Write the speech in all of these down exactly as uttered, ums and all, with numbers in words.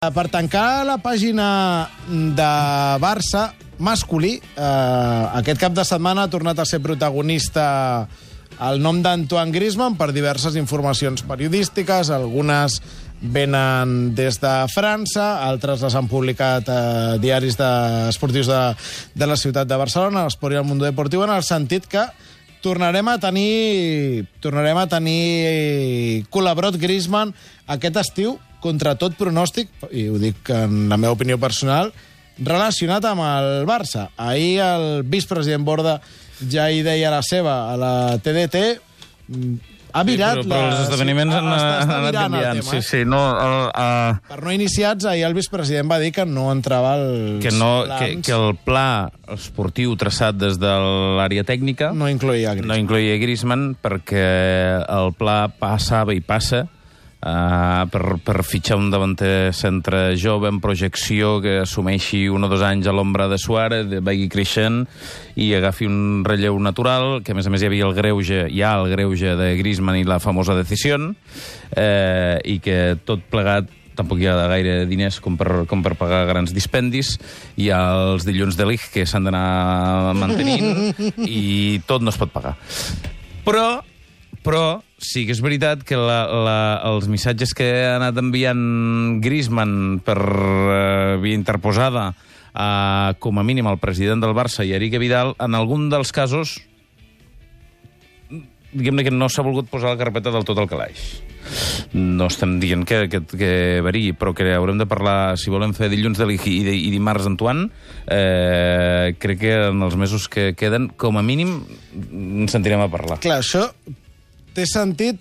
Per tancar la pàgina de Barça masculí, eh, aquest cap de setmana ha tornat a ser protagonista el nom d'Antoine Griezmann per diverses informacions periodístiques. Algunes venen des de França, altres les han publicat eh, diaris de, esportius de, de la ciutat de Barcelona, l'Esport i el Mundo Deportiu, en el sentit que tornarem a tenir tornarem a tenir col·laborat Griezmann aquest estiu, contra tot pronòstic, i ho dic en la meva opinió personal, relacionat amb el Barça. Ahir el vicepresident Borda ja hi deia la seva a la T D T. Ha virat... Sí, però, però la... els esdeveniments sí, han, han anat canviant. Sí, sí, no, el, uh... Per no iniciats, ahir el vicepresident va dir que no entrava als que no, plans. Que, que el pla esportiu traçat des de l'àrea tècnica no incloïa Griezmann. No incloïa Griezmann perquè el pla passava i passa Uh, per, per fitxar un davanter centre jove en projecció que assumeixi un o dos anys a l'ombra de Suárez, vagi creixent i agafi un relleu natural, que a més a més hi havia el greuge, hi ha el greuge de Griezmann i la famosa decisió, eh, i que tot plegat tampoc hi ha gaire diners com per, com per pagar grans dispendis. Hi ha els dilluns de Lig que s'han d'anar mantenint i tot no es pot pagar. Però Però sí que és veritat que la, la, els missatges que ha anat enviant Griezmann per uh, via interposada uh, com a mínim al president del Barça i Enrique Vidal, en algun dels casos diguem-ne que no s'ha volgut posar la carpeta del tot al calaix. No estem dient que, que, que variï, però que haurem de parlar, si volem fer dilluns de l'I i, i dimarts d'Antoine, eh, crec que en els mesos que queden, com a mínim, ens sentirem a parlar. Clar, això té sentit,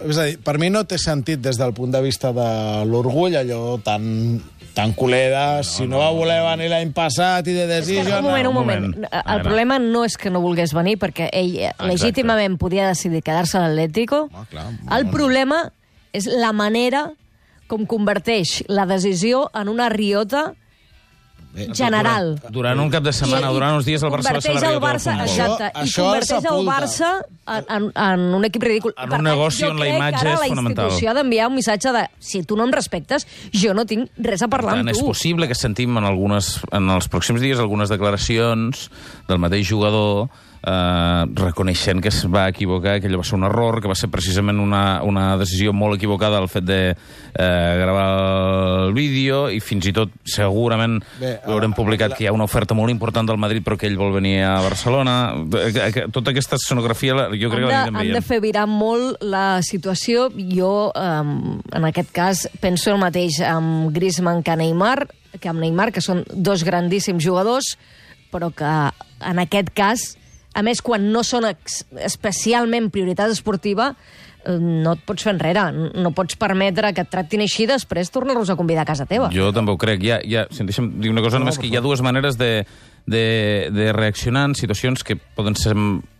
és a dir, per mi no té sentit des del punt de vista de l'orgull, allò tan, tan culera, no, si no, no va voler venir l'any passat i de decisió... Un moment, un moment. El problema no és que no volgués venir, perquè ell Exacte. legítimament podia decidir quedar-se a l'Atlético. Ah, clar, el problema és la manera com converteix la decisió en una riota general. Durant, durant un cap de setmana, I, durant uns dies, el Barça va ser la riota del futbol. Exacte, i converteix el Barça en, en, en un equip ridícul. En un negoci on la imatge és fonamental. Jo crec que ara la institució ha d'enviar un missatge de si tu no em respectes, jo no tinc res a parlar amb tu. És possible que sentim en, algunes, en els pròxims dies algunes declaracions del mateix jugador Uh, reconeixent que es va equivocar, que allò va ser un error, que va ser precisament una, una decisió molt equivocada el fet de uh, gravar el vídeo, i fins i tot segurament Bé, haurem uh, publicat la... que hi ha una oferta molt important del Madrid però que ell vol venir a Barcelona. Tota aquesta escenografia jo crec que l'anirem veient. Han de fer virar molt la situació. Jo, um, en aquest cas, penso el mateix amb Griezmann que Neymar, que amb Neymar, que són dos grandíssims jugadors, però que en aquest cas, a més, quan no són especialment prioritat esportiva, no et pots fer enrere. No pots permetre que et tractin així després tornar-los a convidar a casa teva. Jo també ho crec. Hi ha, hi ha, si em deixem dir una cosa, no, només que hi ha dues maneres de, de, de reaccionar en situacions que poden ser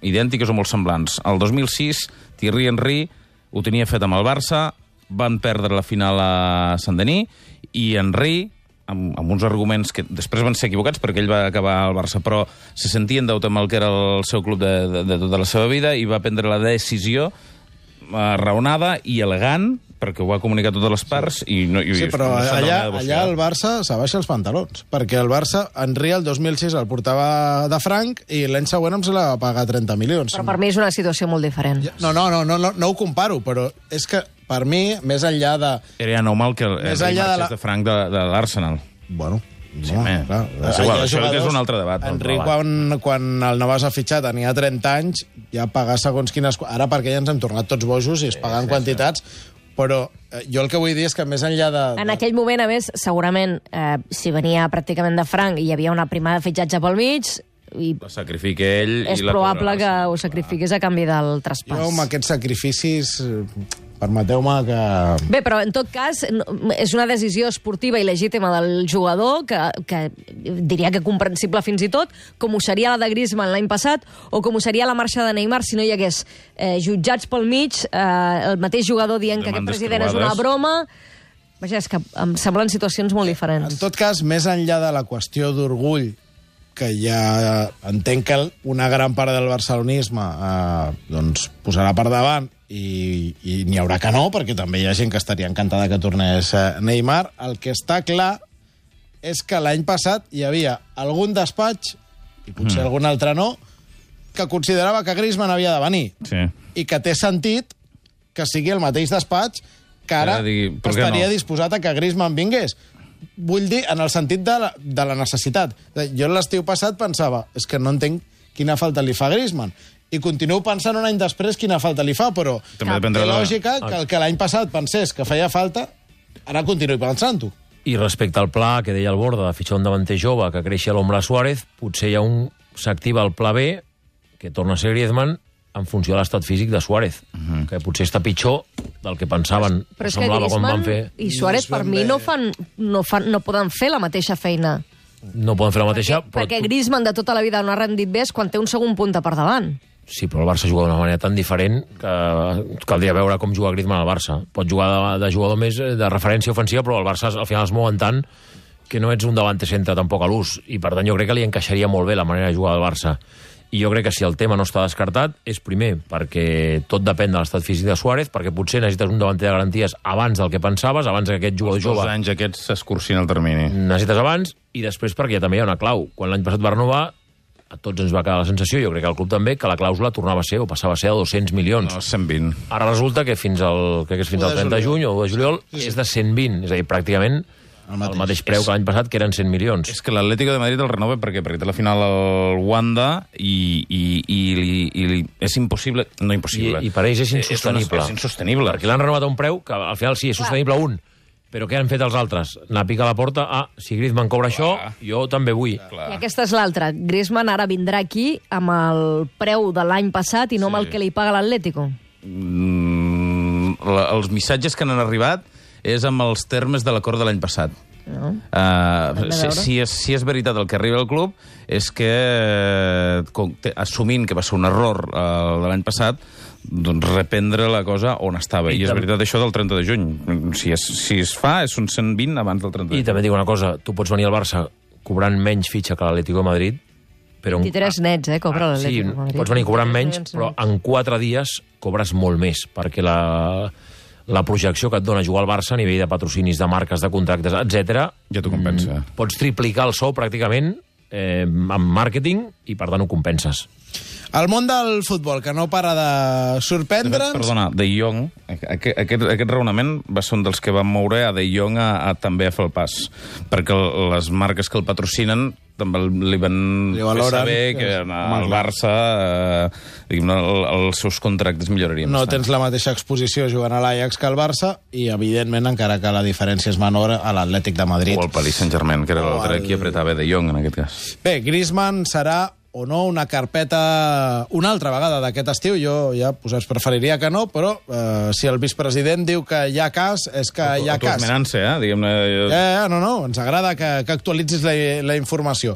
idèntiques o molt semblants. El dos mil sis, Thierry Henry ho tenia fet amb el Barça, van perdre la final a Saint-Denis, i Henry, amb, amb uns arguments que després van ser equivocats perquè ell va acabar al Barça, però se sentia en deute amb el que era el seu club de, de, de tota la seva vida, i va prendre la decisió eh, raonada i elegant, perquè ho va comunicar a totes les parts. Sí, i no, i, sí però no allà, allà el Barça s'abaixa els pantalons, perquè el Barça, Henry, el dos mil sis el portava de franc i l'any següent em se la va pagar trenta milions. Però per mi és una situació molt diferent. No, no, no, no, no, no ho comparo, però és que per mi, més enllà de... Era normal que el Henry marxés de, la... de franc de, de l'Arsenal. Bueno... Sí, no, clar. És igual, això és un altre debat. Henry, quan, quan el Navàs ha fitxat, tenia trenta anys, ja pagar segons quines... Ara perquè ja ens hem tornat tots bojos i es paguen sí, sí, quantitats, sí. Però eh, jo el que vull dir és que més enllà de... de... En aquell moment, a més, segurament, eh, si venia pràcticament de franc i hi havia una primada de fitxatge pel mig... I la sacrifica ell és i la probable que ho sacrifiqués a canvi del traspàs. Jo amb aquests sacrificis, permeteu-me que... Bé, però en tot cas és una decisió esportiva i legítima del jugador que, que diria que comprensible fins i tot, com ho seria la de Griezmann l'any passat o com ho seria la marxa de Neymar si no hi hagués eh, jutjats pel mig, eh, el mateix jugador dient que aquest president és una broma... Vaja, és que em semblen situacions molt diferents. En tot cas, més enllà de la qüestió d'orgull que ja entenc que una gran part del barcelonisme eh, doncs posarà per davant i, i n'hi haurà que no, perquè també hi ha gent que estaria encantada que tornés Neymar. El que està clar és que l'any passat hi havia algun despatx, i potser mm. algun altre no, que considerava que Griezmann havia de venir. Sí. I que té sentit que sigui el mateix despatx que ara digui, estaria no? disposat a que Griezmann vingués. Vull dir, en el sentit de la, de la necessitat. Jo l'estiu passat pensava, és que no entenc quina falta li fa a Griezmann. I continuo pensant un any després quina falta li fa, però també té lògica que el que l'any passat pensés que feia falta, ara continuï pensant-ho. I respecte al pla que deia el Borda, de fitxar un davanter jove que creixi a l'ombra Suárez, potser hi ha un s'activa el pla B, que torna a ser Griezmann, en funció de l'estat físic de Suárez, uh -huh. que potser està pitjor del que pensaven. Però és que Griezmann fer... i Suárez, per mi, no, fan, no, fan, no poden fer la mateixa feina. No poden fer la mateixa... Perquè, però perquè Griezmann de tota la vida no ha rendit bé quan té un segon punta per davant. Sí, però el Barça juga d'una manera tan diferent que caldria veure com juga Griezmann al Barça. Pot jugar de, de jugador més de referència ofensiva, però el Barça al final es mouen tant que no ets un davanter centre tampoc a l'ús. I per tant jo crec que li encaixaria molt bé la manera de jugar del Barça. I jo crec que si el tema no està descartat és primer perquè tot depèn de l'estat físic de Suárez, perquè potser necessites un davanter de garanties abans del que pensaves, abans que aquest jugador jove... Els dos anys aquests s'escurcin el termini. Necessites abans, i després perquè ja també hi ha una clau. Quan l'any passat va renovar, a tots ens va quedar la sensació, jo crec que al club també, que la clàusula tornava a ser, o passava a ser de dos-cents milions. No, cent vint. Ara resulta que fins al, crec que és fins al trenta de juny o de juliol sí, sí. és de cent vint, és a dir, pràcticament el mateix, el mateix preu és, que l'any passat, que eren cent milions. És que l'Atlético de Madrid el renova perquè, perquè té la final al Wanda i, i, i, i, i és impossible... No impossible. I, i per ells és insostenible. És, és insostenible. Perquè l'han renovat a un preu que al final sí, és sostenible un. Però què han fet els altres? Anar a picar a la porta, ah, si Griezmann cobra clar. Això, jo també vull. Clar. I aquesta és l'altra. Griezmann ara vindrà aquí amb el preu de l'any passat i no sí. amb el que li paga l'Atlético. Mm, la, els missatges que han arribat és amb els termes de l'acord de l'any passat. No. Uh, si, si, és, si és veritat el que arriba al club és que, eh, assumint que va ser un error uh, de l'any passat, doncs reprendre la cosa on estava. I, I és veritat això del trenta de juny. Si es, si es fa, és un cent vint abans del trenta de juny. I també dic una cosa, tu pots venir al Barça cobrant menys fitxa que l'Atlético de Madrid, però... vint-i-tres nets, eh, cobra ah, l'Atlético de Madrid. Sí, pots venir cobrant menys, però en quatre dies cobres molt més, perquè la... la projecció que et dona jugar al Barça a nivell de patrocinis, de marques, de contractes, etcètera. Ja t'ho compensa. Pots triplicar el sou pràcticament eh, amb màrqueting i, per tant, ho compenses. El món del futbol, que no para de sorprendre'ns... Perdona, De Jong, aquest, aquest, aquest raonament va ser un dels que van moure a De Jong a, a també a fer el pas, perquè les marques que el patrocinen també li van li fer saber que al Barça eh, diguem, el, els seus contractes millorarien. No bastant. Tens la mateixa exposició jugant a l'Ajax que al Barça i, evidentment, encara que la diferència és menor, a l'Atlètic de Madrid. O al Paris Saint-Germain, que era l'altre el... qui apretava De Jong en aquest cas. Bé, Griezmann serà o no una carpeta una altra vegada d'aquest estiu. Jo ja pues, preferiria que no, però eh, si el vicepresident diu que hi ha cas, és que hi ha cas. Autoesmenant-se, eh? Diguem-ne... Ja, ja, no, no, ens agrada que, que actualitzis la, la informació.